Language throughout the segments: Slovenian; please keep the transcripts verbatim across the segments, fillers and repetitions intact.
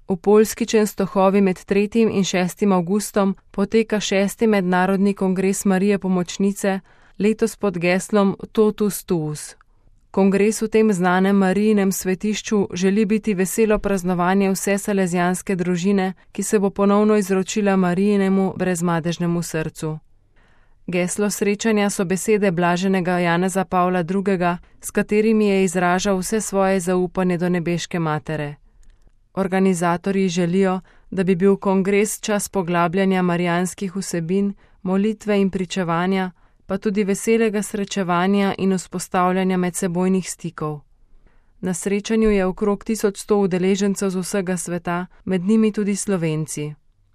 V Poljski Częstochovi med tretjim in šestim avgustom poteka šesti mednarodni kongres Marije Pomočnice, letos pod geslom Totus Tuus. Kongres v tem znanem Marijinem svetišču želi biti veselo praznovanje vse salezijanske družine, ki se bo ponovno izročila Marijinemu brezmadežnemu srcu. Geslo srečanja so besede blaženega Janeza Pavla drugega, s katerimi je izražal vse svoje zaupanje do nebeške matere. Organizatorji želijo, da bi bil kongres čas poglabljanja marijanskih vsebin, molitve in pričevanja, pa tudi veselega srečevanja in vzpostavljanja medsebojnih stikov. Na srečanju je okrog tisoč sto udeležencev z vsega sveta, med njimi tudi Slovenci.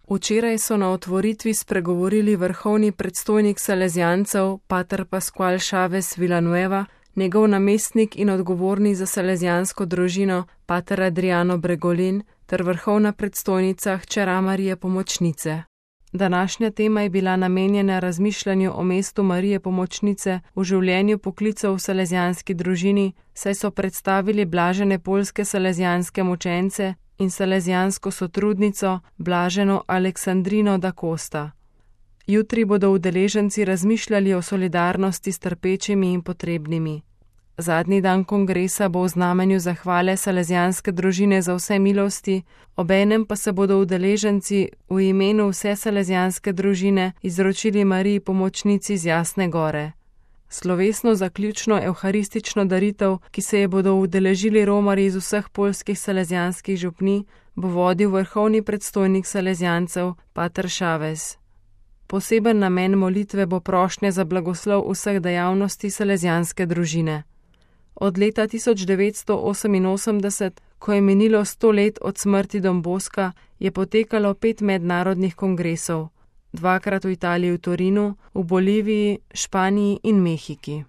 Včeraj so na otvoritvi spregovorili vrhovni predstojnik salezijancev, pater Pascual Chavez Villanueva, njegov namestnik in odgovorni za salezijansko družino, pater Adriano Bregolin, ter vrhovna predstojnica hčera Marije Pomočnice. Današnja tema je bila namenjena razmišljanju o mestu Marije Pomočnice v življenju poklicev v salezijanski družini, saj so predstavili blažene poljske salezijanske mučence in salezijansko sotrudnico, blaženo Aleksandrino da Costa. Jutri bodo udeleženci razmišljali o solidarnosti s trpečimi in potrebnimi. Zadnji dan kongresa bo v znamenju zahvale salezijanske družine za vse milosti, obenem pa se bodo udeleženci v imenu vse salezijanske družine izročili Mariji Pomočnici z Jasne gore. Slovesno zaključno evharistično daritev, ki se je bodo udeležili romarji iz vseh poljskih salezijanskih župnij, bo vodil vrhovni predstojnik salezijancev, pater Chavez. Poseben namen molitve bo prošnja za blagoslov vseh dejavnosti salezijanske družine. Od leta tisoč devetsto oseminosemdeset, ko je minilo sto let od smrti Don Boska, je potekalo pet mednarodnih kongresov, dvakrat v Italiji v Torinu, v Boliviji, Španiji in Mehiki.